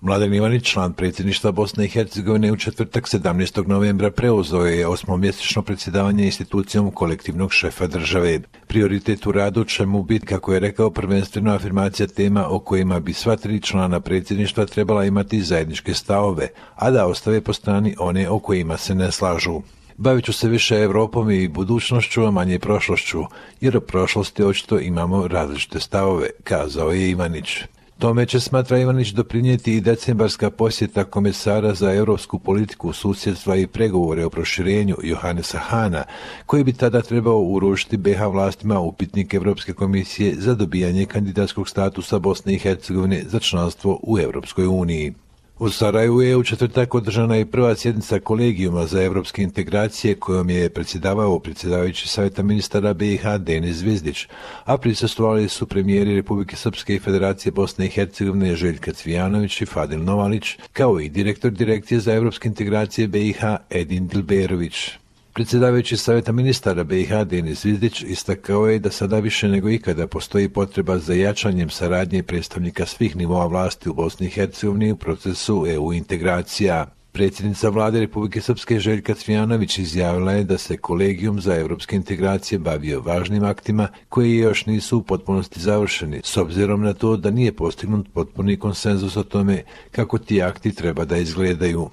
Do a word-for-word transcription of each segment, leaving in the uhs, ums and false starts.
Mladen Ivanić, član predsjedništva Bosne i Hercegovine, u četvrtak sedamnaestog novembra preuzeo je osmomjesečno predsjedavanje institucijom kolektivnog šefa države. Prioritet u radu će mu biti, kako je rekao, prvenstveno afirmacija tema o kojima bi sva tri člana predsjedništva trebala imati zajedničke stavove, a da ostave po strani one o kojima se ne slažu. Bavit ću se više Europom i budućnošću, a manje prošlošću, jer o prošlosti očito imamo različite stavove, kazao je Ivanić. Tome će, smatra Ivanić, doprinijeti i decembarska posjeta komesara za europsku politiku, susjedstva i pregovore o proširenju Johannesa Hahna, koji bi tada trebao uručiti be ha vlastima upitnik Europske komisije za dobijanje kandidatskog statusa Bosne i Hercegovine za članstvo u Europskoj uniji. U Sarajevu je u četvrtak održana i prva sjednica kolegijuma za europske integracije kojom je predsjedavao predsjedavajući Savjeta ministara be i ha Denis Zvizdić, a prisustvovali su premijeri Republike Srpske i Federacije Bosne i Hercegovine Željka Cvijanović i Fadil Novalić, kao i direktor Direkcije za europske integracije be i ha Edin Dilberović. Predsjedavajući Savjeta ministara be i ha Denis Zvizdić istakao je da sada više nego ikada postoji potreba za jačanjem saradnje predstavnika svih nivoa vlasti u Bosni i Hercegovini u procesu e u integracija. Predsjednica vlade Republike Srpske Željka Cvijanović izjavila je da se kolegijum za europske integracije bavio važnim aktima koji još nisu u potpunosti završeni, s obzirom na to da nije postignut potpuni konsenzus o tome kako ti akti treba da izgledaju.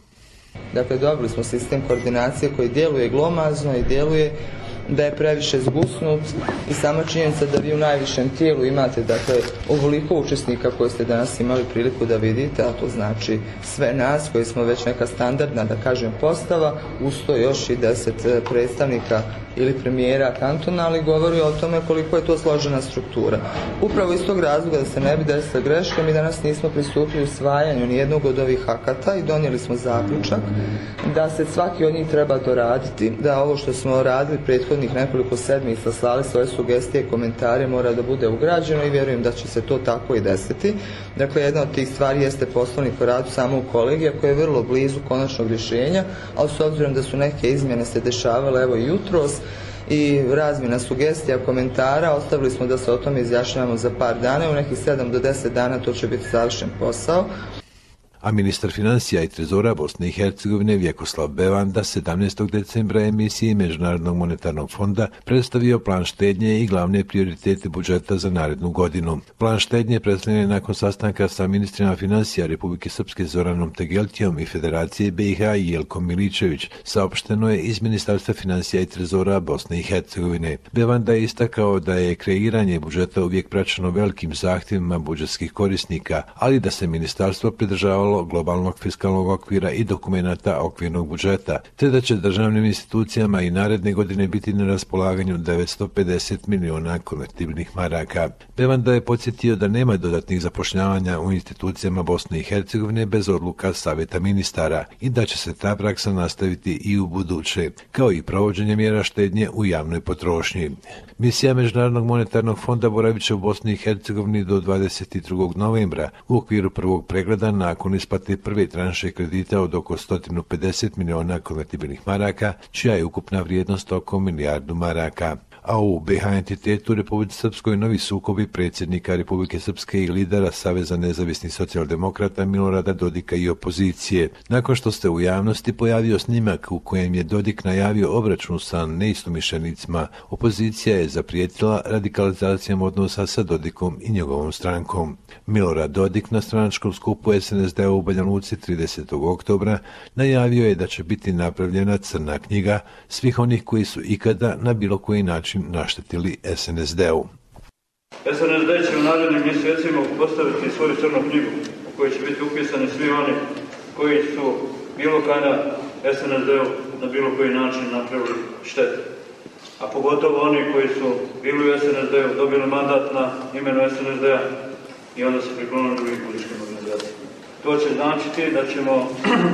Dakle, dobili smo sistem koordinacije koji djeluje glomazno i djeluje da je previše zgusnut i sama činjenica da vi u najvišem tijelu imate, dakle, ovoliko učesnika koje ste danas imali priliku da vidite, a to znači sve nas koji smo već neka standardna, da kažem, postava, uz to još i deset predstavnika ili premijera kantona, ali govori o tome koliko je to složena struktura. Upravo iz tog razloga, da se ne bi desila greška, mi danas nismo pristupili usvajanju nijednog od ovih akata i donijeli smo zaključak da se svaki od njih treba doraditi, da ovo što smo radili prethodnih nekoliko sedmica, slali svoje sugestije i komentare, mora da bude ugrađeno i vjerujem da će se to tako i desiti. Dakle, jedna od tih stvari jeste poslovnik o radu samog kolegija koji je vrlo blizu konačnog rješenja, ali s obzirom da su neke izmjene se dešavale evo i jutros i razmjena sugestija, komentara, ostavili smo da se o tome izjašnjavamo za par dana i u nekih sedam do deset dana to će biti završen posao. A ministar financija i trezora Bosne i Hercegovine Vjekoslav Bevanda sedamnaestog decembra emisiji Međunarodnog monetarnog fonda predstavio plan štednje i glavne prioritete budžeta za narednu godinu. Plan štednje predstavljen je nakon sastanka sa ministrima financija Republike Srpske Zoranom Tegeltijom i Federacije be i ha Jelkom Miličević, saopšteno je iz Ministarstva financija i trezora Bosne i Hercegovine. Bevanda je istakao da je kreiranje budžeta uvijek praćeno velikim zahtjevima budžetskih korisnika, ali da se ministarstvo pridržavalo globalnog fiskalnog okvira i dokumenata okvirnog budžeta, te da će državnim institucijama i naredne godine biti na raspolaganju devetsto pedeset miliona konvertibilnih maraka. Bevanda je podsjetio da nema dodatnih zapošljavanja u institucijama Bosne i Hercegovine bez odluka Savjeta ministara i da će se ta praksa nastaviti i u buduće, kao i provođenje mjera štednje u javnoj potrošnji. Misija Međunarodnog monetarnog fonda boravit će u Bosni i Hercegovini do dvadeset drugog novembra u okviru prvog pregleda nakon isplate prve tranše kredita od oko sto pedeset miliona konvertibilnih maraka, čija je ukupna vrijednost oko milijardu maraka. A u be ha entitetu Republike Srpskoj novi sukobi predsjednika Republike Srpske i lidera Saveza nezavisnih socijaldemokrata Milorada Dodika i opozicije. Nakon što se u javnosti pojavio snimak u kojem je Dodik najavio obračun sa neistomišljenicima, opozicija je zaprijetila radikalizacijom odnosa sa Dodikom i njegovom strankom. Milorad Dodik na stranačkom skupu es en es de u Banja Luci tridesetog oktobra najavio je da će biti napravljena crna knjiga svih onih koji su ikada na bilo koji način naštetili es en es de-u. es en es de će u narednim mjesecima postaviti svoju crnu knjigu u kojoj će biti upisani svi oni koji su bilo kada es en es de-u na bilo koji način napravili štetu. A pogotovo oni koji su bili u es en es de-u, dobili mandat na imenu es en es de-a i onda se priklonili drugim političkim organizacijama. To će značiti da ćemo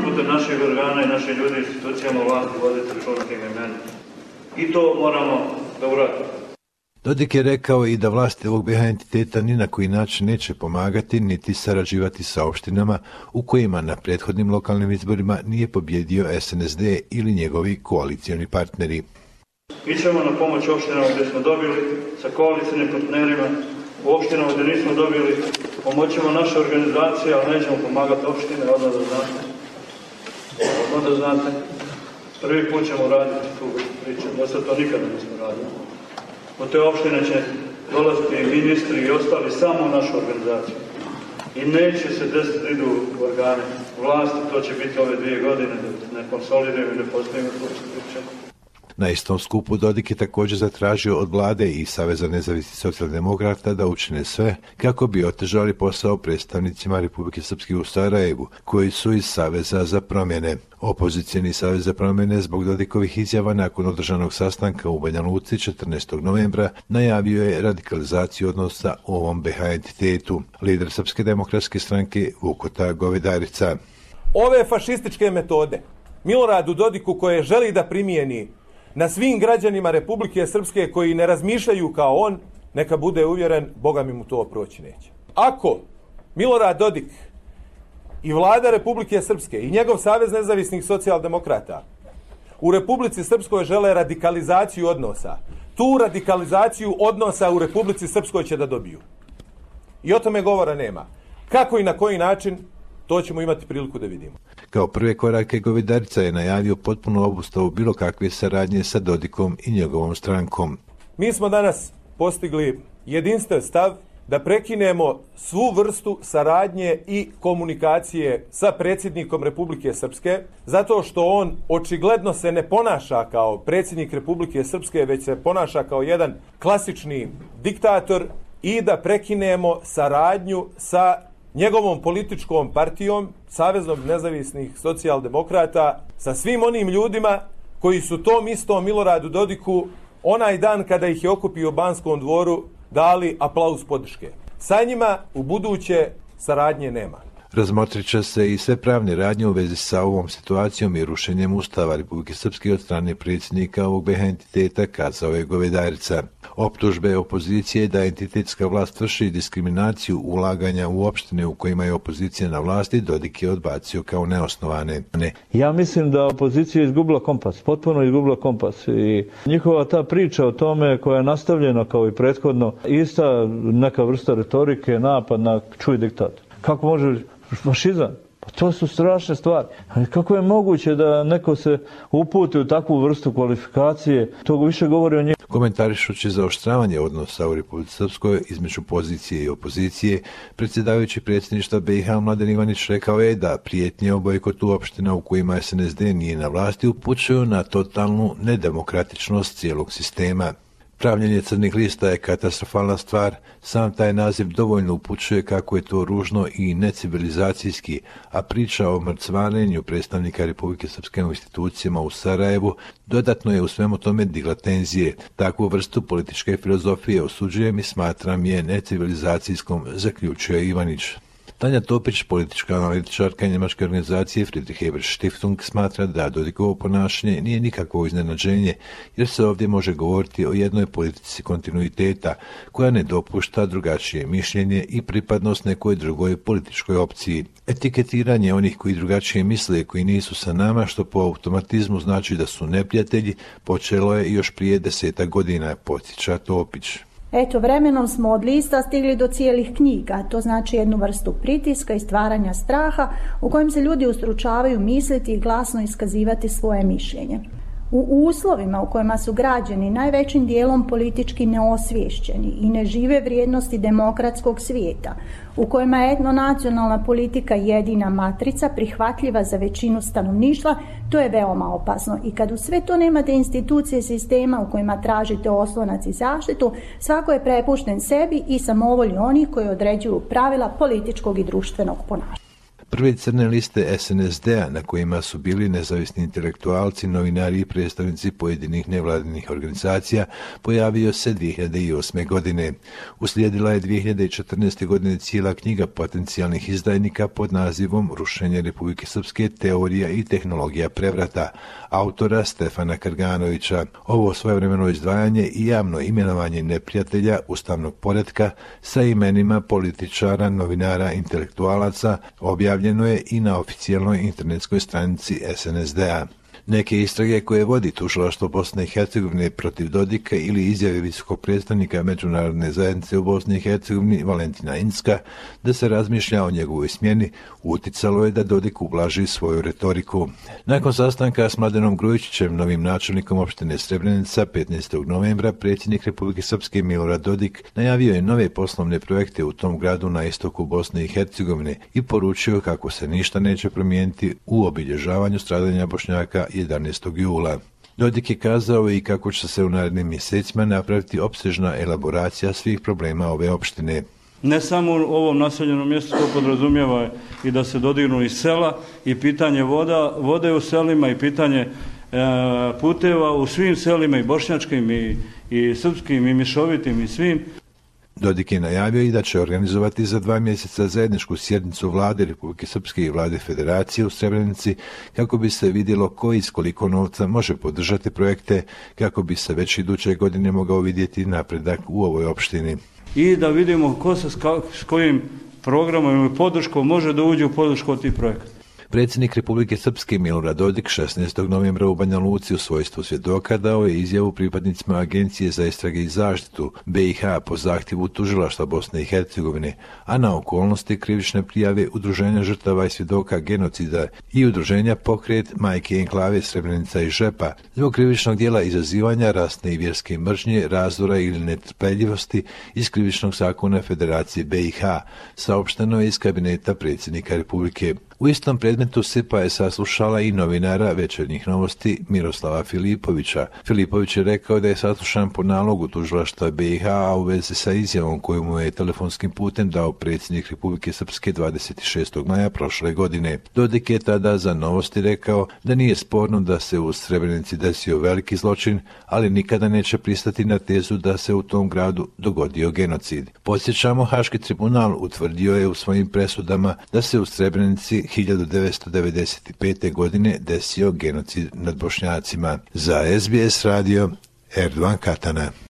putem naših organa i naših ljudi i institucijama vlasti voditi računa tim imenima. I to moramo da uradimo. Dodik je rekao i da vlasti ovog be ha entiteta ni na koji način neće pomagati niti sarađivati sa opštinama u kojima na prethodnim lokalnim izborima nije pobjedio es en es de ili njegovi koalicioni partneri. Ićemo na pomoć opštinama gdje smo dobili sa koalicijnim partnerima, u opštinama gdje nismo dobili Pomoćemo naše organizacije, ali nećemo pomagati opštine, odmah da znate. Odmah da znate. Prvi put ćemo raditi tu priču, da se to nikada nismo radili. U te opštine će dolaziti i ministri i ostali samo u našu organizaciju. I neće se desiti da idu u organe vlasti, to će biti ove dvije godine, da ne konsolidiraju i ne postavimo tu priču. Na istom skupu Dodik je također zatražio od vlade i Saveza nezavisnih socijaldemokrata da učine sve kako bi otežali posao predstavnicima Republike Srpske u Sarajevu, koji su iz Saveza za promjene. Opozicijeni Savez za promjene zbog Dodikovih izjava nakon održanog sastanka u Banja Luci četrnaestog novembra najavio je radikalizaciju odnosa u ovom be ha entitetu. Lider Srpske demokratske stranke Vukota Govedarica. Ove fašističke metode Miloradu Dodiku koje želi da primijeni na svim građanima Republike Srpske koji ne razmišljaju kao on, neka bude uvjeren, Boga mi mu to proći neće. Ako Milorad Dodik i vlada Republike Srpske i njegov Savez nezavisnih socijaldemokrata u Republici Srpskoj žele radikalizaciju odnosa, tu radikalizaciju odnosa u Republici Srpskoj će da dobiju. I o tome govora nema. Kako i na koji način, to ćemo imati priliku da vidimo. Kao prve korake Govedarica je najavio potpuno obustavu bilo kakve saradnje sa Dodikom i njegovom strankom. Mi smo danas postigli jedinstven stav da prekinemo svu vrstu saradnje i komunikacije sa predsjednikom Republike Srpske, zato što on očigledno se ne ponaša kao predsjednik Republike Srpske, već se ponaša kao jedan klasični diktator, i da prekinemo saradnju sa njegovom političkom partijom, Savezom nezavisnih socijaldemokrata, sa svim onim ljudima koji su tom istom Miloradu Dodiku onaj dan kada ih je okupio u Banskom dvoru dali aplauz podrške. Sa njima u buduće saradnje nema. Razmotrit će se i sve pravne radnje u vezi sa ovom situacijom i rušenjem Ustava Republike Srpske od strane predsjednika ovog be ha entiteta, kazao je Govedarica. Optužbe opozicije da entitetska vlast vrši diskriminaciju ulaganja u opštine u kojima je opozicija na vlasti, Dodik je odbacio kao neosnovane. Ne. Ja mislim da opozicija je izgubila kompas, potpuno izgubila kompas, i njihova ta priča o tome koja je nastavljena kao i prethodno, ista neka vrsta retorike, napad na čuj diktat. Kako može fašizam? Pa to su strašne stvari. Ali kako je moguće da neko se uputi u takvu vrstu kvalifikacije? To više govori o njemu. Komentarišući zaoštravanje odnosa u Republici Srpskoj između pozicije i opozicije, predsjedavajući predsjedništva be ha Mladen Ivanić rekao je da prijetnje o bojkotu opština u kojima es en es de nije na vlasti upućuju na totalnu nedemokratičnost cijelog sistema. Pravljenje crnih lista je katastrofalna stvar, sam taj naziv dovoljno upućuje kako je to ružno i necivilizacijski, a priča o mrcvarenju predstavnika Republike Srpske u institucijama u Sarajevu dodatno je u svemu tome digla tenzije. Takvu vrstu političke filozofije osuđujem i smatram je necivilizacijskom, zaključuje Ivanić. Tanja Topić, politička analitičarka njemačke organizacije Friedrich Ebert Stiftung, smatra da Dodikovo ponašanje nije nikakvo iznenađenje, jer se ovdje može govoriti o jednoj politici kontinuiteta koja ne dopušta drugačije mišljenje i pripadnost nekoj drugoj političkoj opciji. Etiketiranje onih koji drugačije misle i koji nisu sa nama, što po automatizmu znači da su neprijatelji, počelo je još prije desetak godina, podsjeća Topić. Eto, vremenom smo od lista stigli do cijelih knjiga, to znači jednu vrstu pritiska i stvaranja straha u kojem se ljudi ustručavaju misliti i glasno iskazivati svoje mišljenje. U uslovima u kojima su građani najvećim dijelom politički neosviješćeni i ne žive vrijednosti demokratskog svijeta, u kojima je etnonacionalna politika jedina matrica prihvatljiva za većinu stanovništva, to je veoma opasno. I kad u sve to nemate institucije sistema u kojima tražite oslonac i zaštitu, svako je prepušten sebi i samovolji onih koji određuju pravila političkog i društvenog ponašanja. Prve crne liste es en es de a na kojima su bili nezavisni intelektualci, novinari i predstavnici pojedinih nevladinih organizacija pojavio se dvije hiljade osme. godine. Uslijedila je dvije hiljade četrnaeste. godine cijela knjiga potencijalnih izdajnika pod nazivom Rušenje Republike Srpske, teorija i tehnologija prevrata, autora Stefana Karganovića. Ovo svojevremeno izdvajanje i javno imenovanje neprijatelja ustavnog poretka sa imenima političara, novinara, intelektualaca objavljeno je i na oficijalnoj internetskoj stranici es en es de a. Neke istrage koje vodi tužilaštvo Bosne i Hercegovine protiv Dodika ili izjave visokog predstavnika međunarodne zajednice u Bosni i Hercegovini Valentina Incka da se razmišlja o njegovoj smjeni uticalo je da Dodik ublaži svoju retoriku. Nakon sastanka s Mladenom Grujičićem, novim načelnikom opštine Srebrenica, petnaestog novembra, predsjednik Republike Srpske Milorad Dodik najavio je nove poslovne projekte u tom gradu na istoku Bosne i Hercegovine i poručio kako se ništa neće promijeniti u obilježavanju stradanja Bošnjaka jedanaestog jula. Dodik je kazao i kako će se u narednim mjesecima napraviti opsežna elaboracija svih problema ove opštine. Ne samo u ovom naseljenom mjestu, to podrazumijeva i da se dodirnu i sela i pitanje voda, vode u selima i pitanje e, puteva u svim selima i bošnjačkim i, i srpskim i mišovitim i svim. Dodik je najavio i da će organizovati za dva mjeseca zajedničku sjednicu vlade Republike Srpske i vlade Federacije u Srebrenici kako bi se vidjelo ko iz koliko novca može podržati projekte kako bi se već iduće godine mogao vidjeti napredak u ovoj opštini. I da vidimo ko se s kojim programom ili podrškom može da uđe u podršku od tih projekata. Predsjednik Republike Srpske Milorad Dodik šesnaestog novembra u Banja Luci u svojstvu svjedoka dao je izjavu pripadnicima Agencije za istrage i zaštitu B i H po zahtjevu tužilaštva Bosne i Hercegovine, a na okolnosti krivične prijave Udruženja žrtava i svjedoka genocida i Udruženja Pokret Majke Enklave Srebrenica i Žepa zbog krivičnog djela izazivanja rasne i vjerske mržnje, razdora ili netrpeljivosti iz krivičnog zakona Federacije B i H, saopšteno je iz kabineta predsjednika Republike. U istom predmetu S I P A je saslušala i novinara Večernjih novosti Miroslava Filipovića. Filipović je rekao da je saslušan po nalogu tužilaštva B i H, a u vezi sa izjavom koju mu je telefonskim putem dao predsjednik Republike Srpske dvadeset šestog maja prošle godine. Dodik je tada za Novosti rekao da nije sporno da se u Srebrenici desio veliki zločin, ali nikada neće pristati na tezu da se u tom gradu dogodio genocid. Podsjećamo, Haški tribunal utvrdio je u svojim presudama da se u Srebrenici hiljadu devetsto devedeset pete. godine desio genocid nad Bošnjacima. Za S B S radio, Erdogan Katana.